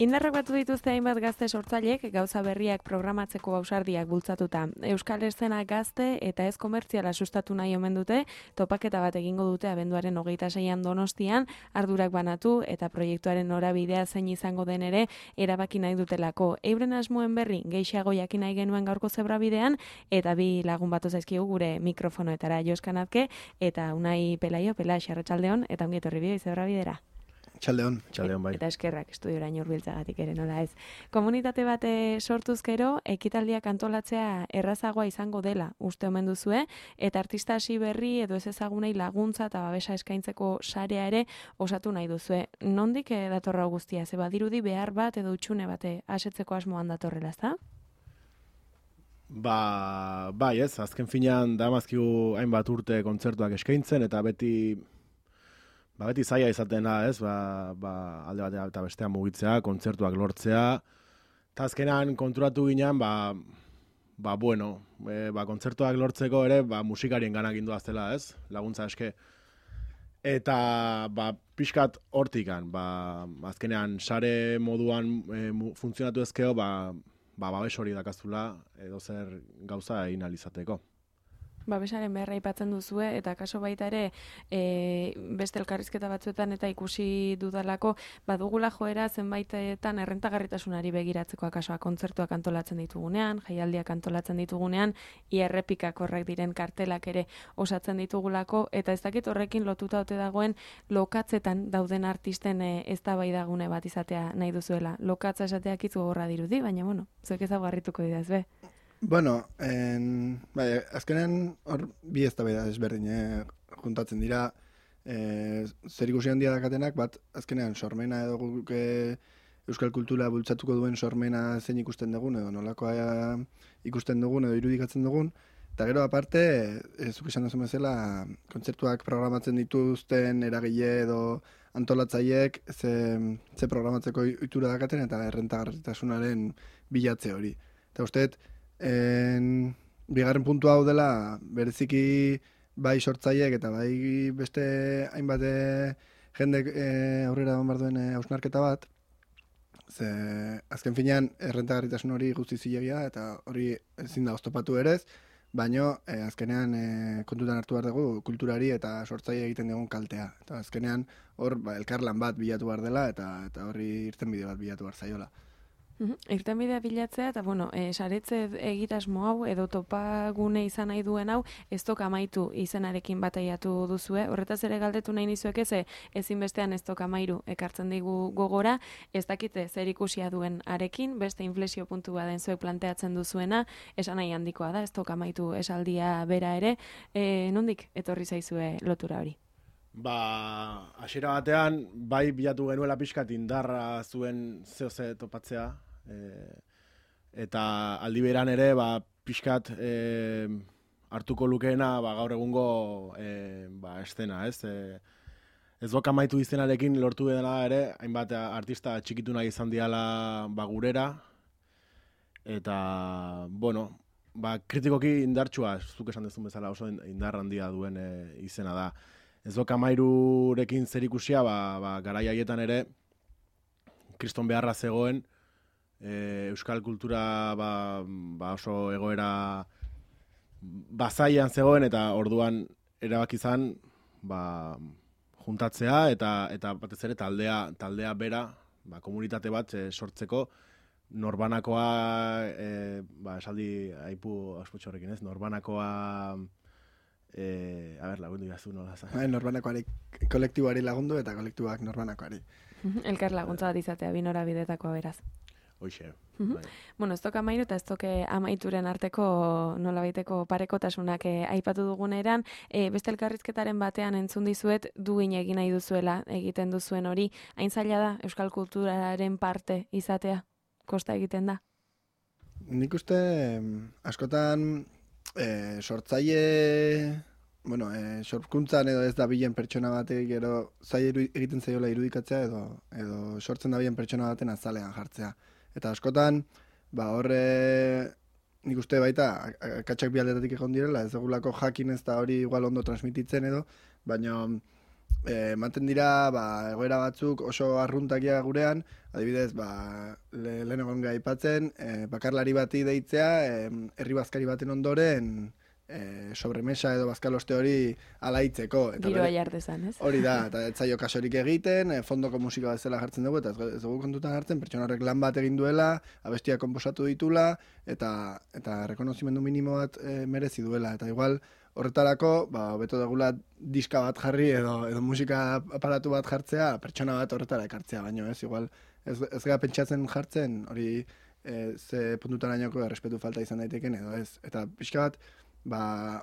Indarrak batu dituzte hainbat gazte sortzaileek gauza berriak programatzeko ausardiak bultzatuta. Euskal eszena gazte eta ez komertziala sustatu nahi omen dute, topaketa bat egingo dute abenduaren 26an Donostian, ardurak banatu eta proiektuaren norabidea zein izango den ere erabaki nahi dutelako. Euren asmoen berri gehiago jakin nahi genuen gaurko zebrabidean eta bi lagun batu zaizkigu gure mikrofonoetara, Joskanazke eta Unai Pelaio, Arratsaldeon eta ongi etorri bideo zebrabidera. Txaldeon bai. Eta eskerrak estudioraino hurbiltzagatik ere nola ez. Komunitate bat sortuz gero, ekitaldiak antolatzea errazagoa izango dela uste omen duzue, eta artista hasi berri edo ez ezagunei laguntza eta babesa eskaintzeko sarea ere osatu nahi duzue. Nondik datorra guztia? Ze badirudi behar bat edo utxune bate asetzeko asmoan datorrela, ezta? Bai ez, azken finean damazkigu hainbat urte kontzertuak eskaintzen eta beti zaila izaten da, ez? Alde batean eta bestean mugitzea, kontzertuak lortzea. Eta azkenan konturatu ginen, kontzertuak lortzeko ere, musikarien ganak indoaztela, ez? Laguntza eske. Eta, pixkat hortikan, azkenean sare moduan funtzionatu ezkeo, babes hori dakazula, edo zer gauza egin alizateko. Babesaren beharra aipatzen duzue, eta kaso baita ere beste elkarrizketa batzuetan eta ikusi dudalako, badugula joera zenbaitetan errentagarritasunari begiratzeko akasoa kontzertuak antolatzen ditugunean, jaialdiak antolatzen ditugunean, errepikak horrek diren kartelak ere osatzen ditugulako, eta ez dakit horrekin lotuta ote dagoen lokatzetan dauden artisten eztabaidagune bat izatea nahi duzuela. Lokatza esateak itzu gogorra dirudi, baina zuek ezaguarrituko didaz, be? Bueno, azkenean hor bi eztabaida desberdin juntatzen dira, zer ikusi handia dakatenak, bat azkenean sormena edo euskal kultura bultzatuko duen sormena zein ikusten dugun, edo nolakoa ikusten dugun, edo irudikatzen dugun, eta gero aparte, zuk esan duzu bezala, kontzertuak programatzen dituzten eragile edo antolatzaileek ze programatzeko ohitura dakaten eta errentagarritasunaren bilatze hori. Eta usteet, bigarren puntu hau dela bereziki bai sortzaileek eta bai beste hainbat jendek aurrera eman behar duen hausnarketa bat, ze azken finean errentagarritasun hori guzti zilegia eta hori ezin da oztopatu ere ez, baina azkenean kontutan hartu behar dugu kulturari eta sortzaile egiten dugun kaltea. Eta azkenean hor elkarlan bat bilatu behar dela eta horri irtenbide bat bilatu behar zaiola. Irtenbidea bilatzea, eta saretze egitasmo hau edo topagune izan nahi duen hau ez toka amaitu izenarekin bataiatu duzue. Horretaz ere galdetu nahi nizuek ezinbestean ez toka amairu ekartzen digu gogora, ez dakite zer ikusia duen arekin, beste inflexio puntu baden zuek planteatzen duzuena, esan nahi handikoa da, ez toka amaitu esaldia bera ere, nondik etorri zaizue lotura hori? Hasiera batean, bai bilatu genuela pixkat indarra zuen zehose topatzea, eta aldi beran ere, pixkat hartuko lukeena gaur egungo estena, ez? Ez dok amaitu izenarekin lortu dela ere, hainbat artista txikitu nahi izan diala gurera, eta, kritikoki indartsua, zuk esan dezun bezala oso indar handia duen izena da. Ez dok amairurekin zer ikusia, garai haietan ere, kriston beharra zegoen, euskal kultura oso egoera bazaian zegoen, eta orduan erabaki izan juntatzea, eta batez ere taldea bera, komunitate bat sortzeko, norbanakoa, esaldi aipu ospotxo horrekin ez, norbanakoa... lagundu jazu nola zan. Norbanakoari kolektiboari lagundu eta kolektiboak norbanakoari. Elkar laguntza bat izatea, binora bidetakoa beraz. Hoxe. Ez toka amairu eta ez toke amaituren arteko nolabaiteko parekotasunak aipatu duguneran, beste elkarrizketaren batean entzun dizuet duin egin nahi duzuela egiten duzuen hori, hain zaila da euskal kulturaren parte izatea? Kosta egiten da? Nik uste askotan sortzaile, sorkuntzan edo ez da bilen pertsona batek gero zaila egiten zaiola irudikatzea edo sortzen da bilen pertsona baten azalean jartzea. Eta askotan, horre nik uste baita akatsak bi aldetatik egon direla, ez dugulako jakin ez da hori igual ondo transmititzen edo, baina ematen dira egoera batzuk oso arruntakia gurean, adibidez, lehen egon aipatzen, bakarlari bati deitzea, herri bazkari baten ondoren, sobremesa edo bazkaloste hori alaitzeko. Giroa jardezan, ez? Hori da, eta ez zaio kasorik egiten, fondoko musika bezala jartzen dugu, eta ez dugu kontutan hartzen, pertsona horrek lan bat egin duela, abestia konposatu ditula, eta rekonozimendu minimo bat merezi duela. Eta igual, horretarako, beto degula diska bat jarri edo musika aparatu bat jartzea, pertsona bat horretara ekartzea, baino ez, igual, ez gara pentsatzen jartzen, hori ze puntutarainoko errespetu falta izan daiteken edo ez. Eta pixka bat,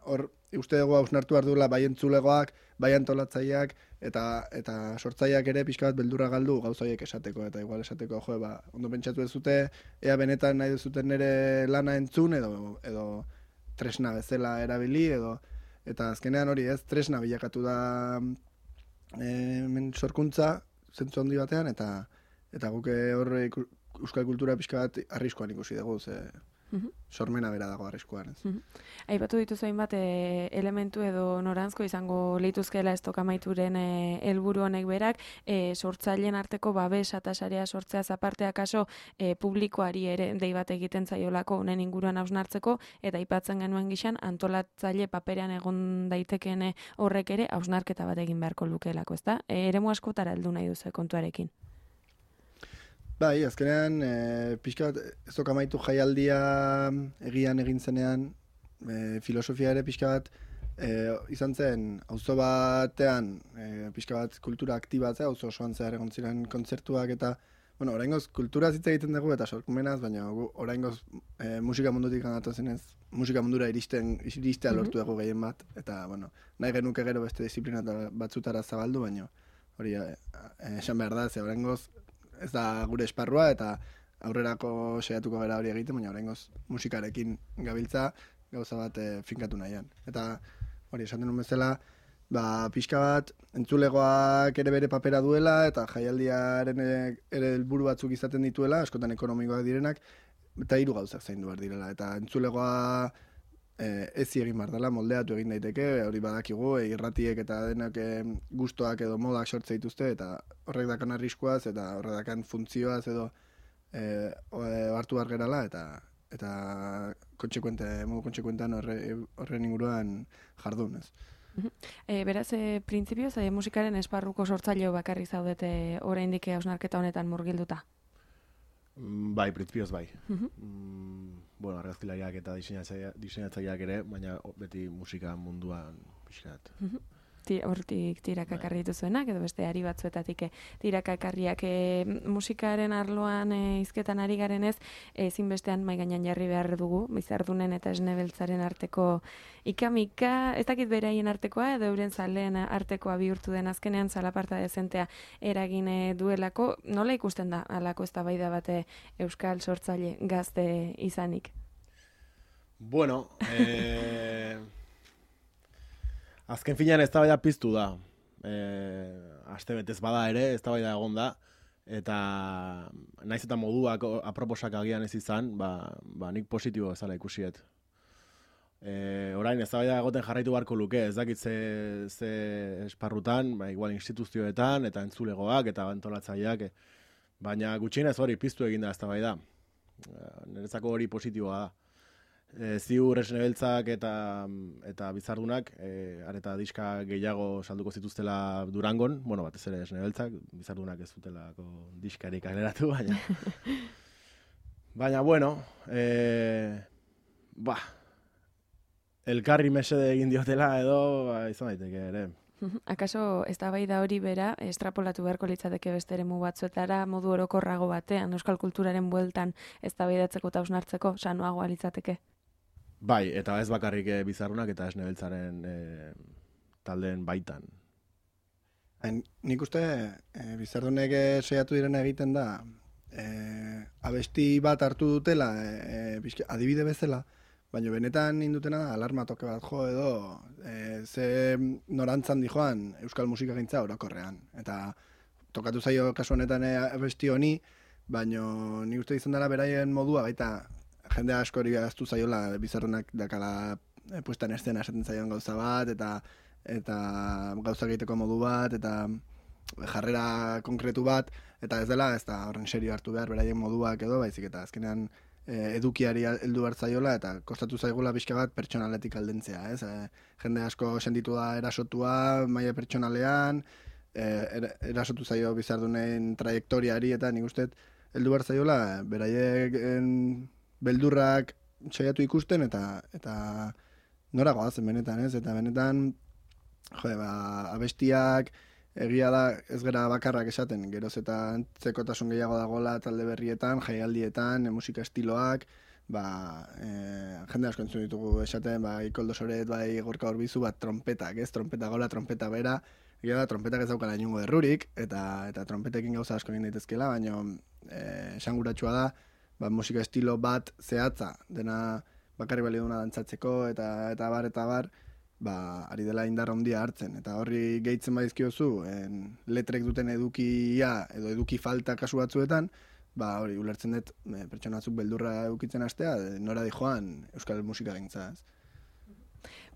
hor uste dugu hausnartu behar duela bai entzulegoak, bai antolatzaileak eta sortzaileak ere pixka bat beldurra galdu gauza horiek esateko, eta igual esateko ondo pentsatu ez dute, ea benetan nahi duzuten nire lana entzun edo tresna bezala erabili eta azkenean hori ez, tresna bilakatu da sorkuntza zentzu handi batean eta guk hor euskal kultura pixka bat arriskuan ikusi dugu, sormena bera dago arriskuan. Aipatu dituzu hainbat elementu edo noranzko izango lituzkeela estokamaituren helburu honek berak, sortzaileen arteko babes eta sarea sortzea zapartea kaso publikoari ere dei bat egiten zaiolako honen inguruan hausnartzeko, eta aipatzen genuen gixan antolatzaile paperean egon daitekeen horrek ere hausnarketa bat egin beharko lukeelako, ezta? Eremu askotara heldu nahi duzu kontuarekin. Bai, azkenean, pixka bat, ez amaitu jaialdia egian egin zenean, filosofia ere pixka bat, izan zen, auzo batean, pixka bat kultura aktibatzea, auzo osoan zehar egon ziren kontzertuak eta, bueno, oraingoz kultura hitz egiten dugu eta sorkumenaz, baina oraingoz musika mundutik ganatzen zenez, musika mundura iristea lortu dugu gehien bat, eta, bueno, nahi genuke gero beste disiplina batzutara zabaldu, baina hori esan behar da, ze oraingoz ez da gure esparrua eta aurrerako saiatuko gara hori egiten, baina oraingoz musikarekin gabiltza gauza bat finkatu nahian. Eta hori esaten nuen bezala, pixka bat entzulegoak ere bere papera duela eta jaialdiaren ere helburu batzuk izaten dituela, askotan ekonomikoak direnak, eta 3 gauzak zaindu behar direla. Eta entzulegoa ezi egin behar dela, moldeatu egin daiteke, hori badakigu, irratiek eta denak gustoak edo modak sortze dituzte, eta horrek dakan arriskuaz, eta horrek dakan funtzioaz edo hartu behar gerala, eta modu kontsekuentean horren inguruan jardun, ez. Beraz, printzipioz, musikaren esparruko sortzaileo bakarri zaudete oraindik hausnarketa honetan murgilduta? Bai, printzipioz bai. Bueno, argazkilariak eta diseinatzaileak ere, baina beti musika munduan pixkat. Hortik tiraka ekarri dituzuenak, edo beste ari batzuetatik tiraka ekarriak musikaren arloan hizketan ari garenez, ezinbestean mahai gainean jarri behar dugu, Bizardunen eta Esne Beltzaren arteko ikamika, ez dakit beraien artekoa, edo euren zaleen artekoa bihurtu den azkenean zalaparta dezentea eragin duelako. Nola ikusten da halako eztabaida bate euskal sortzaile gazte izanik? Bueno, azken finean eztabaida piztu da. Astebetez bada ere, eztabaida egon da, eta naiz eta moduak aproposak agian ez izan, nik positibo ezala ikusiet. Orain eztabaida egoten jarraitu beharko luke, ez dakit ze esparrutan, igual instituzioetan eta entzulegoak eta antolatzaileak, baina gutxienez hori piztu egin da eztabaida. Niretzako hori positiboa da. Ziur Esne Beltzak eta Bizardunak areta diska gehiago salduko zituztela Durangon, bueno, batez ere Esne Beltzak, Bizardunak ez zutelako diskarik kaleratu, baina bueno, elkarri mesede egin diotela edo izan daiteke ere. Akaso eztabaida hori bera estrapolatu beharko litzateke beste eremu batzuetara modu orokorrago batean euskal kulturaren bueltan eztabaidatzeko eta hausnartzeko sanoagoa litzateke? Bai, eta ez bakarrik Bizardunak eta Esne Beltzaren taldeen baitan. Nik uste Bizardunek saiatu direna egiten da abesti bat hartu dutela adibide bezala, baina benetan indutena da alarma toke bat jo edo ze norantzan dijoan euskal musikagintza orokorrean. Eta tokatu zaio kasu honetan abesti honi, baina nik uste izan dela beraien modua baita jende askori gaztu zaiola Bizardunak dakala puestan eszena esaten zaion gauza bat, eta eta gauzak egiteko modu bat, eta jarrera konkretu bat, eta ez dela, ez da horren serio hartu behar beraien moduak edo, baizik eta azkenean edukiari heldu hartzaiola eta kostatu zaigula pixka bat pertsonaletik aldentzea, ez? Jende asko sentitu da erasotua maila pertsonalean, erasotu zaio bizardunen trajektoriari eta nik uste heldu hartzaiola beraiek beldurrak saiatu ikusten eta nora goazen benetan, ez? Eta benetan abestiak egia da ez gara bakarrak esaten, geroz eta antzekotasun gehiago dagoela talde berrietan, jaialdietan, musika estiloak, jende asko entzun ditugu esaten, Ikoldo Soret, Gorka Orbizu, trompetak, ez? Trompeta gola, trompeta bera, egia da, trompetak ez daukala inongo errurik, eta trompetekin gauza asko egin daitezkela, baina esanguratsua da, musika estilo bat zehatza, dena bakarri balio duna dantzatzeko, eta bar, ari dela indar handia hartzen. Eta horri gehitzen badizkiozu, letrek duten edukia edo eduki falta kasu batzuetan, hori ulertzen dut pertsona batzuk beldurra edukitzen hastea, nora di joan euskal musika gintza.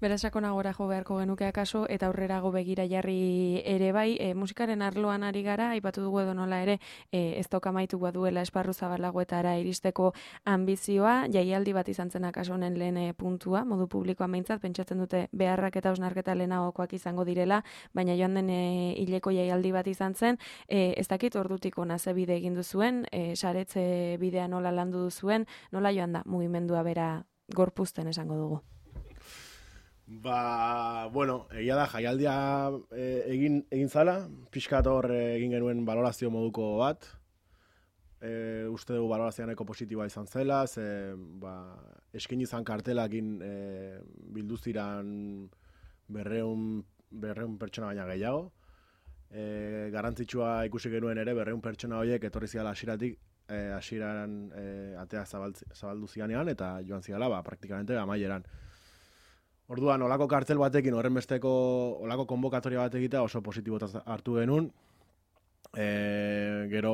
Beraz, sakonagora jo beharko genuke akaso, eta aurrerago begira jarri ere bai, musikaren arloan ari gara, aipatu dugu edo nola ere, ez dauka amaituko duela esparru zabalagoetara iristeko ambizioa, jaialdi bat izan zen akaso honen lehen puntua, modu publikoan behintzat, pentsatzen dute beharrak eta osnarketa lehenagokoak izango direla, baina joan den hileko jaialdi bat izan zen, ez dakit ordutik ona ze bide egin duzuen, saretze bidea nola landu duzuen, nola joan da mugimendua bera gorpuzten esango dugu. Bueno, egia da, jaialdia egin zala, pixkat hor egin genuen balorazio moduko bat. Uste dugu balorazioa nahiko positiboa izan zela, eskin izan kartelakin bilduziran 200 pertsona baina gehiago. Garrantzitsua ikusi genuen ere 200 pertsona horiek etorri ziala hasieran atea zabaldu zianean, eta joan ziala praktikamente amaieran. Orduan, olako kartel batekin, horren besteko olako konbokatoria bat egitea oso positibotaz hartu genuen. Gero,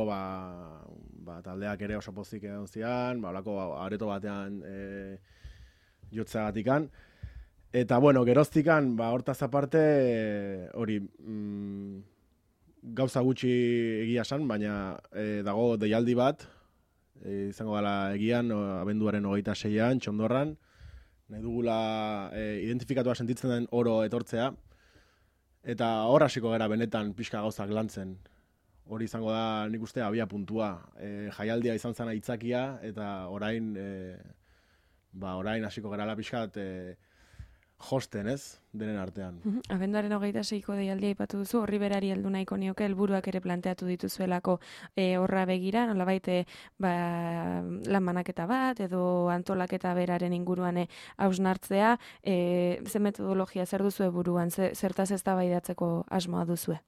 taldeak ere oso pozik egon zian, olako areto batean jotzeagatikan. Eta, bueno, geroztikan, hortaz aparte, hori, gauza gutxi egia esan, baina dago deialdi bat, izango gala egian, abenduaren 26an, Txondorran, nahi dugula identifikatua sentitzen den oro etortzea, eta hor hasiko gara benetan pixka gauzak lantzen. Hori izango da nik uste abia puntua. Jaialdia izan zen aitzakia, eta orain hasiko gara pixkat josten, ez? Denen artean. Abenduaren 26ko deialdia aipatu duzu, horri berari heldu nahiko nioke, helburuak ere planteatu dituzuelako horra begira, nolabait lan banaketa bat edo antolaketa beraren inguruan hausnartzea, ze metodologia zer duzue buruan, zertaz eztabaidatzeko asmoa duzue?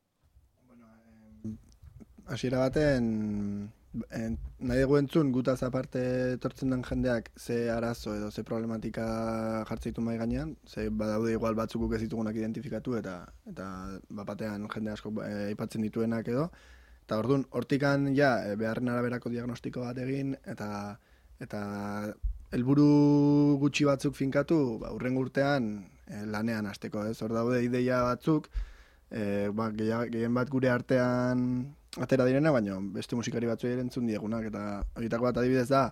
Hasiera baten nahi dugu entzun gutaz aparte etortzen den jendeak ze arazo edo ze problematika jartzeitu mahai gainean, ze badaude igual batzuk guk ez ditugunak identifikatu eta batean jende asko aipatzen dituenak edo, eta orduan hortikan beharren araberako diagnostiko bat egin eta helburu gutxi batzuk finkatu, hurrengo urtean lanean hasteko, ez? Hor daude ideia batzuk, gehien bat gure artean atera direna, baina beste musikari batzuei entzun diegunak, eta horietako bat adibidez da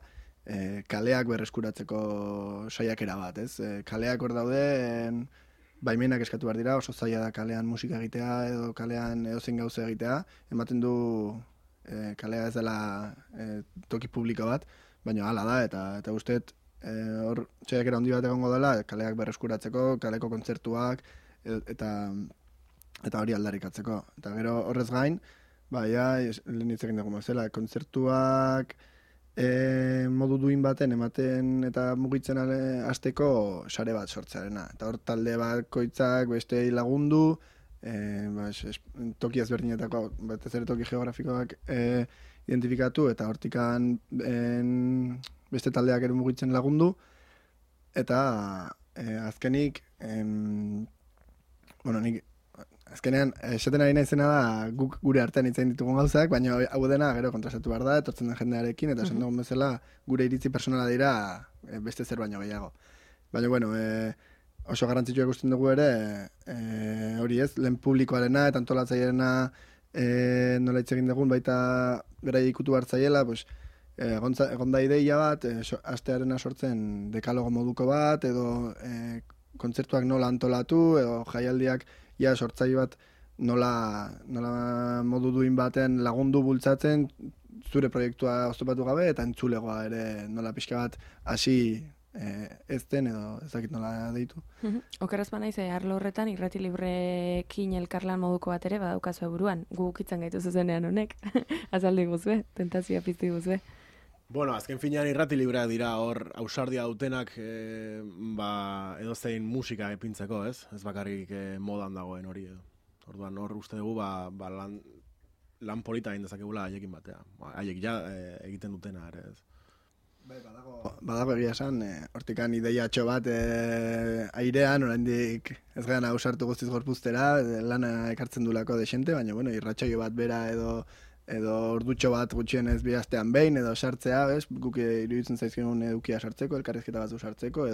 kaleak berreskuratzeko saiakera bat, ez? Kaleak hor daude, baimenak eskatu behar dira, oso zaila da kalean musika egitea edo kalean edozein gauza egitea, ematen du kalea ez dela toki publiko bat, baina hala da, eta usteet hor saiakera handi bat egongo dela, kaleak berreskuratzeko, kaleko kontzertuak, eta hori aldarrikatzeko. Eta gero horrez gain, lehen hitz egin dugu mazela, kontzertuak modu duin baten ematen eta mugitzen hasteko sare bat sortzearena. Eta hor talde bakoitzak beste lagundu, toki ezberdinetako, batez ere toki geografikoak identifikatu, eta hortikan beste taldeak ere mugitzen lagundu, eta azkenik, nik azkenean, esaten ari naizena da guk gure artean hitzain ditugun gauzak, baina hau dena gero kontrastatu behar da, etortzen den jendearekin, eta esan dugun bezala gure iritzi personala dira beste zer baino gehiago. Baina, oso garrantzitsua ikusten dugu ere, hori ez, lehen publikoarena eta antolatzaileena nola hitz egin dugun, baita bera ikutu hartzaiela, pues, egon da ideia bat, astearena sortzen dekalogo moduko bat, edo kontzertuak nola antolatu, edo jaialdiak sortzaile bat nola modu duin baten lagundu bultzatzen, zure proiektua oztopatu gabe, eta entzulegoa ere nola pixka bat hasi ezten edo ezakit nola deitu. Okeraz banaiz, arlo horretan irrati librekin elkarlan moduko bat ere badaukazu buruan. Gu ukitzen gaitu zuzenean honek. Azaldi guzue, tentazioa pizti guzue. Bueno, azken finean irrati libreak dira hor ausardia dutenak edozein musika epintzeko, ez? Ez bakarrik modan dagoen hori edo. Orduan hor uste dugu lan polita egin dezakegula haiekin batea. Haiek egiten dutena ere, ez? Badago egia esan, hortikan ideiatxo bat airean, oraindik ez gana ausartu guztiz gorpuztera, lana ekartzen dulako desente, baina bueno, irratsaio bat bera edo ordutxo bat gutxienez bi astean behin, edo sartzea, bez? Guk iruditzen zaizkigun edukia sartzeko, elkarrizketa batzu sartzeko,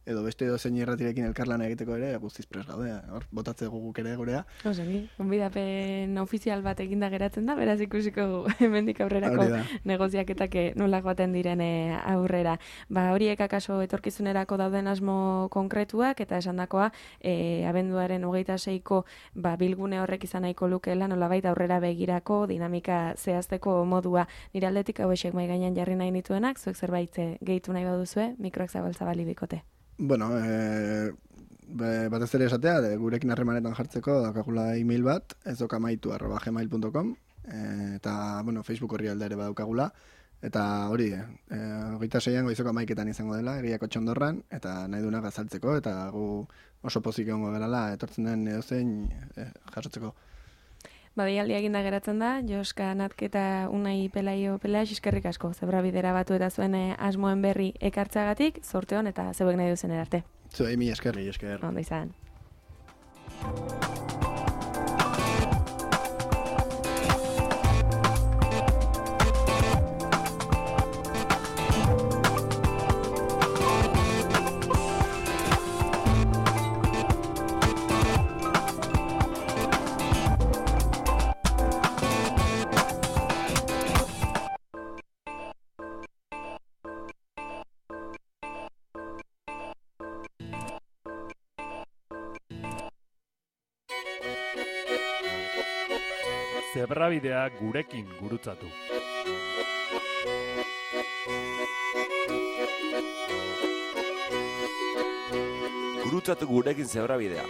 edo beste edo zein irratirekin elkarlana egiteko ere, guztiz pres gaude, hor, botatze guk ere gurea. Osegi, gonbidapen ofizial bat eginda geratzen da, beraz ikusiko hemendik aurrerako negoziaketak nola joaten diren aurrera. Horiek akaso etorkizunerako dauden asmo konkretuak, eta esandakoa, abenduaren 26ko bilgune horrek izan nahiko lukeela, nolabait aurrera begirako dinamika zehazteko modua. Nire aldetik hauexek mai gainean jarri nahi nituenak, zuek zerbait gehitu nahi baduzue, mikroak zabaltzabali bikote. Bueno, batez ere esatea, gurekin harremanetan jartzeko daukagula email bat, ezokamaitu@gmail.com, eta, bueno, Facebook horri alda ere badaukagula, eta hori, 26an goizoko 11etan izango dela, Egiako Txondorran, eta nahi duenak azaltzeko, eta gu oso pozik egongo gerala, etortzen den edozein jasotzeko. Deialdia eginda geratzen da, Joska Natke eta Unai Pelaio eskerrik asko. Zebra bidera batu eta zuen asmoen berri ekartzagatik, zorte hon eta zeuek nahi duzen erarte. Zuei, mi esker. Ondo izan. Zebrabidea gurekin gurutzatu. Gurutzatu gurekin zebrabidea.